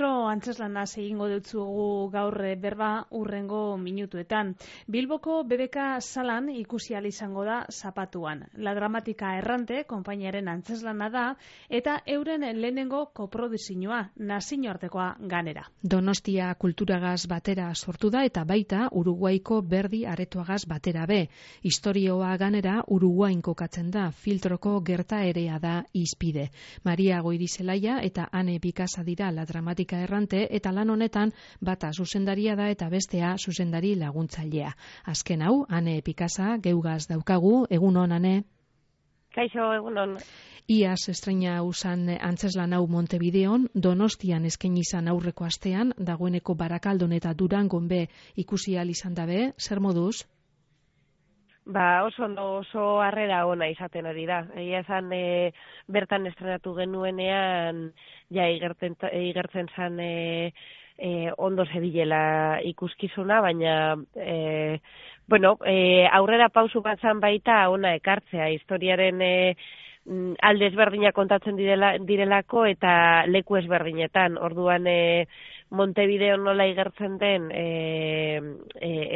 Filtro antzeslanaz egingo dutzugu gaur berba urrengo minutuetan. Bilboko BBK salan ikusi ahal izango da Zapatuan. La Dramatika Errante konpainiaren antzeslana da eta euren lehenengo koproduzioa, nazioartekoa ganera. Donostia kulturagaz batera sortu da eta baita Uruguaiko Berdi Aretoagaz batera be. Historioa ganera Uruguain kokatzen da, Filtroko gertaerea da izpide. Maria Goirizelaia eta Ane Bikasa dira La Dramatika Errante eta lan honetan bata zuzendaria da eta bestea zuzendari laguntzailea. Azken hau, Ane Bikasa geugaz daukagu, egunon, Ane? Kaixo, egunon. Iaz estreina usan antzeslan hau Montevideon, Donostian eskaini izan aurreko astean, dagoeneko Barakaldon eta Durangon be ikusi ahal izan dabe, zer moduz? Oso harrera ona izaten hori da. Egia esan bertan estrenatu genuenean ja igertzen zan ondo zebilela ikuskizuna, baina aurrera pausu bat zan baita ona ekartzea. Historiaren alde ezberdinak kontatzen direlako eta leku ezberdinetan. Orduan Montevideo nola igertzen den,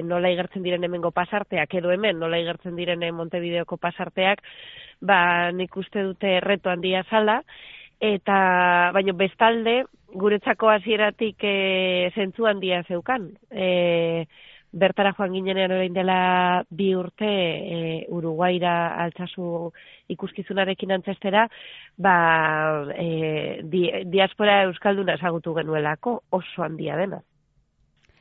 nola igertzen diren hemengo pasarteak, edo hemen nola igertzen diren Montevideoko pasarteak, nik uste dute reto handia zala, eta baina bestalde guretzako hasieratik zentzu handia zeukan. Bertara joan ginenean orain dela 2 urte Uruguaira altsasu ikuskizunarekin antzestera, diaspora euskalduna ezagutu genuelako, oso handia dena.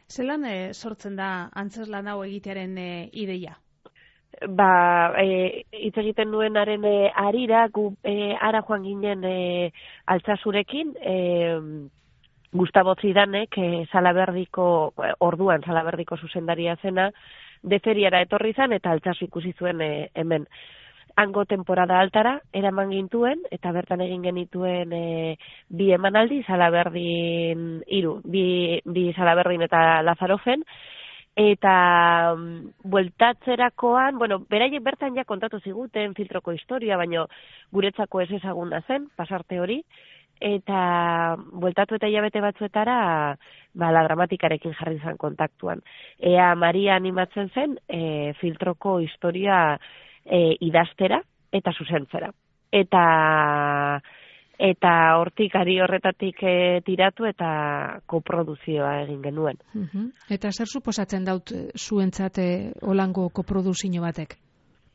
Zelan sortzen da antzeslan hau egitearen ideia? Hitz egiten nuenaren harira, gu ara joan ginen altsasurekin, Gustavo Zidanek, orduan Salaberdiko zuzendaria zena, deferiara etorri zan eta altsasu ikusi zuen hemen. Hango temporada altara eraman gintuen eta bertan egin genituen 2 emanaldi, Salaberdin 3, 2 Salaberdin eta Lazarofen, eta bueltatzerakoan, beraiek bertan ja kontatu ziguten Filtroko historia, baina guretzako ez ezaguna zen, pasarte hori, eta bueltatu eta hilabete batzuetara La Dramatikarekin jarri zen kontaktuan. Ea Maria animatzen zen Filtroko historia idaztera eta zuzentzera. Eta hortik ari horretatik tiratu eta koproduzioa egin genuen. Eta zer suposatzen daut zuentzat holango koproduzio batek?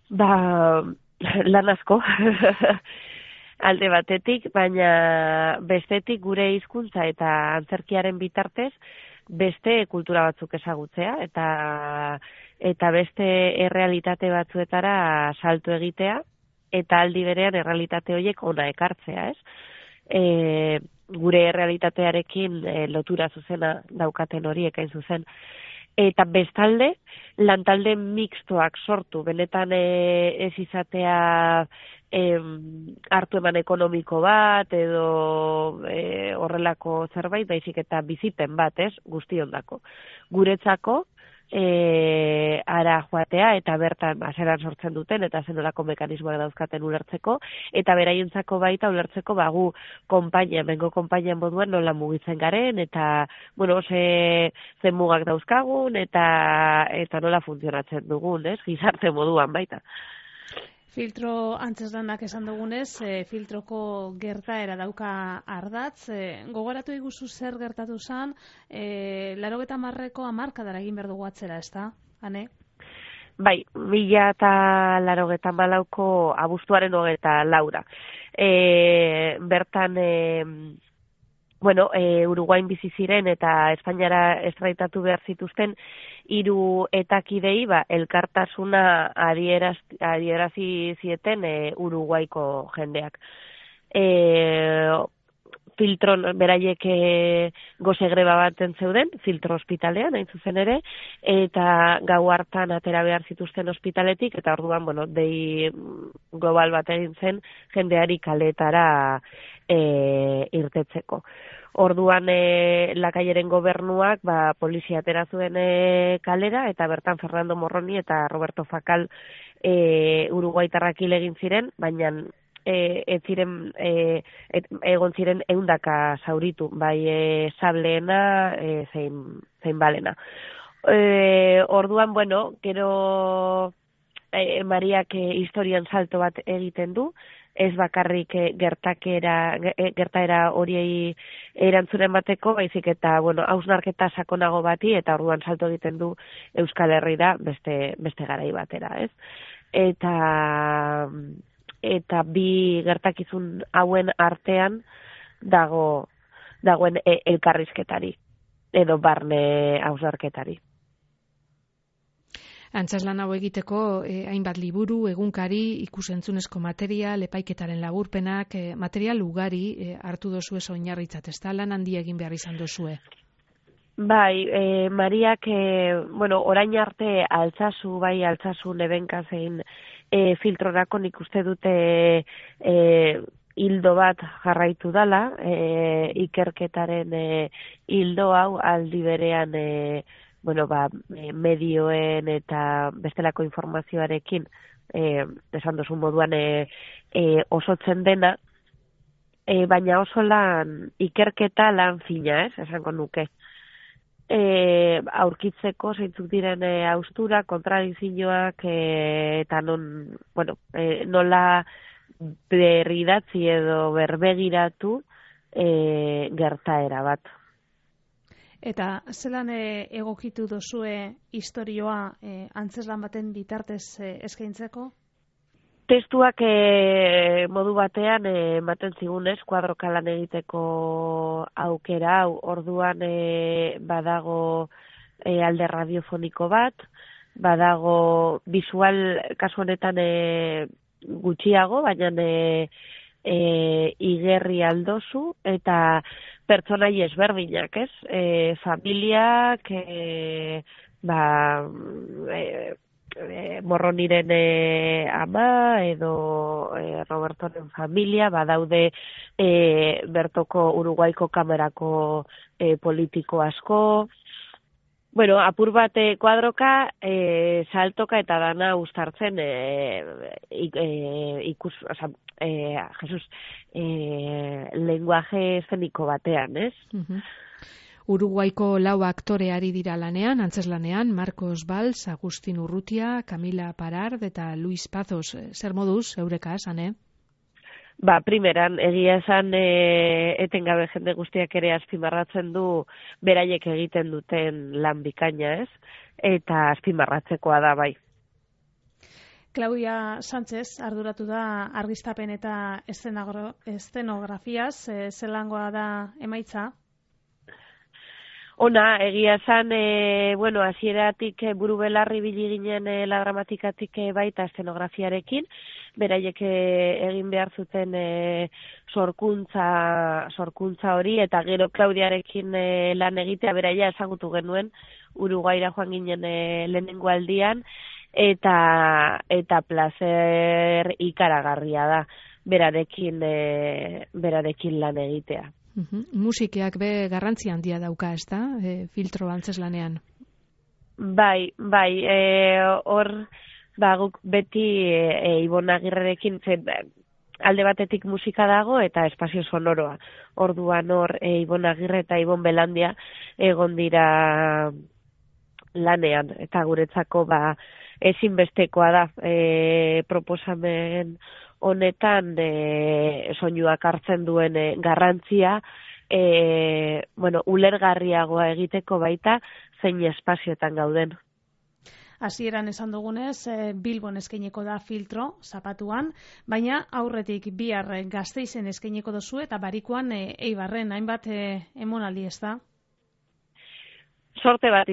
Lan asko. Alde batetik, baina bestetik gure hizkuntza eta antzerkiaren bitartez beste kultura batzuk ezagutzea eta beste errealitate batzuetara salto egitea eta aldi berean errealitate horiek ona ekartzea, ez? Gure errealitatearekin lotura zuzena daukaten horiek hain zuzen. Eta bestalde, lantalde mixtoak sortu, benetan ez izatea hartu eman ekonomiko bat edo horrelako zerbait, baizik eta bizipen bat, ez, guztiondako. Guretzako, ara joatea eta bertan zelan sortzen duten eta zenolako mekanismoak dauzkaten ulertzeko, eta beraientzako baita ulertzeko gu mengo konpainia moduan nola mugitzen garen, eta zen mugak dauzkagun eta nola funtzionatzen dugun, ez, gizarte moduan baita. Filtro antzeslanak esan dugunez, Filtroko gertaera dauka ardatz. Gogoratu iguzu zer gertatu zen, 80ko hamarkadara egin behar dugu atzera, ez da, Ane? Bai, 1984ko abuztuaren 24. Bertan, Uruguain bizi ziren eta Espainiara estraitatu behar zituzten 3 etakidei elkartasuna adierazi zieten Uruguaiko jendeak. Filtron beraiek goze greba baten zeuden, Filtro ospitalean, hain zuzen ere, eta gau hartan atera behar zituzten ospitaletik, eta orduan, dei global bat egin zen jendeari kaletara irtetzeko. Orduan Lakaieren gobernuak polizia atera zuen kalera, eta bertan Fernando Morroni eta Roberto Fakal uruguaitarrak hil egin ziren, baina ez ziren egon ziren 100 zauritu, bai sableena zein balena. Orduan, bueno, gero Mariak historian salto bat egiten du, ez bakarrik gertaera horiei erantzunen bateko, baizik eta, bueno, hausnarketa sakonago bati, eta orduan salto egiten du Euskal Herrira beste garai batera, ez? Eta bi gertakizun hauen artean dagoen elkarrizketari, edo barne hausnarketari. Antzezlan hau egiteko hainbat liburu, egunkari, ikusentzunezko material, epaiketaren laburpenak, material ugari hartu dozu ez oinarritzat, ez da lan handi egin behar izan dozue? Bai, Mariak, bueno, orain arte altzazu nebenka zein filtrorako nik uste dute hildo bat jarraitu dala, ikerketaren hildo hau aldi berean bueno, medioen eta bestelako informazioarekin esan duzun moduan osotzen dena, baina oso ikerketa lan fina, esango nuke. Aurkitzeko zeintzuk diren haustura, kontradizioak eta nola berridatzi edo berbegiratu gertaera bat. Eta zelan egokitu dozue historioa antzezlan baten bitartez eskaintzeko? Testuak modu batean ematen zigunez, kuadroka lan egiteko aukera hau, orduan badago alde radiofoniko bat, badago visual kasu honetan gutxiago, baina igerri aldozu, eta pertsonai ezberdinak, ez? Familiak, Morroniren ama, edo Robertoren familia, badaude bertoko Uruguaiko kamerako politiko asko. Bueno, apur bat kuadroka, saltoka eta dana uztartzen lenguaje eszeniko batean, ez? Uruguaiko 4 aktore ari dira lanean, antzeslanean, Marcos Valls, Agustin Urrutia, Camila Parard eta Luis Pazos. Zer moduz, eureka esan, Primeran, egia esan etengabe jende guztiak ere azpimarratzen du beraiek egiten duten lan bikaina, ez? Eta azpimarratzekoa da, bai. Claudia Sánchez arduratu da argiztapen eta eszenografiaz, zelangoa da emaitza? Ona, egia esan, hasieratik buru belarri bili ginen la dramatikatik baita eszenografiarekin, beraiek egin behar zuten sorkuntza hori, eta gero Claudiarekin lan egitea beraia ezagutu genuen, Uruguaira joan ginen lehenengo aldian, eta placer ikaragarria da berarekin lan egitea. Musikeak be garrantzi handia dauka, ez da, filtro antzeslanean? Bai, hor, guk beti Ibon Agirrerekin, alde batetik musika dago eta espazio sonoroa. Orduan hor, Ibon Agirre eta Ibon Belandia egon dira lanean, eta guretzako ezinbestekoa da proposamen honetan soinuak hartzen duen garrantzia, ulergarriagoa egiteko baita zein espazioetan gauden. Hasieran esan dugunez, Bilbon eskaineko da filtro, zapatuan, baina aurretik bihar Gasteizen eskaineko dozu eta barikuan Eibarren, hainbat emonaldi, ez da? Sorte bat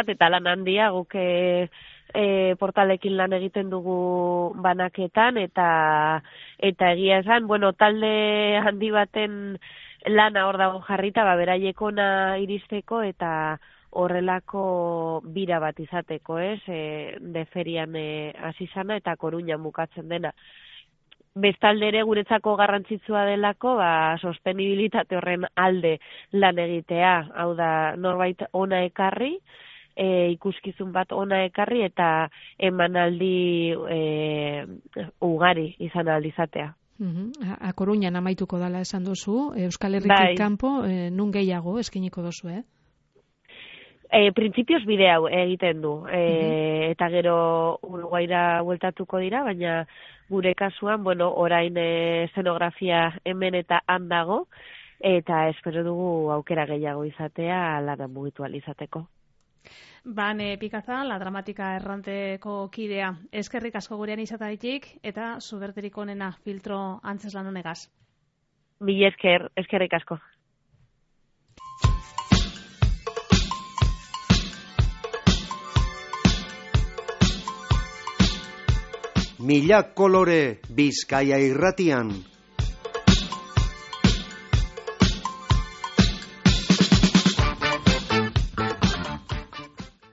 eta lan handia, guk portalekin lan egiten dugu banaketan, eta egia esan, talde handi baten lana hor dago jarrita, beraiekona iristeko eta horrelako bira bat izateko, de ferian hasi zana eta Koruñan bukatzen dena. Bestalde ere guretzako garrantzitsua delako, sostenibilitate horren alde lan egitea, hau da norbait ona ekarri, ikuskizun bat ona ekarri eta emanaldi ugari izan aldizatea. A Coruñan amaituko dala esan duzu, Euskal Herritik kanpo, nun gehiago eskiniko duzu, Printzipioz bide hau egiten du, eta gero Uruguaira bueltatuko dira, baina gure kasuan, orain eszenografia hemen eta han dago, eta espero dugu aukera gehiago izatea lana mugitu ahal izateko. Bane Pikaza, La Dramatika erranteko kidea. Eskerrik asko gurean izataitik eta zuberterik onena filtro antzeslan honegaz. Mila eskerrik asko. Mila kolore Bizkaia irratian.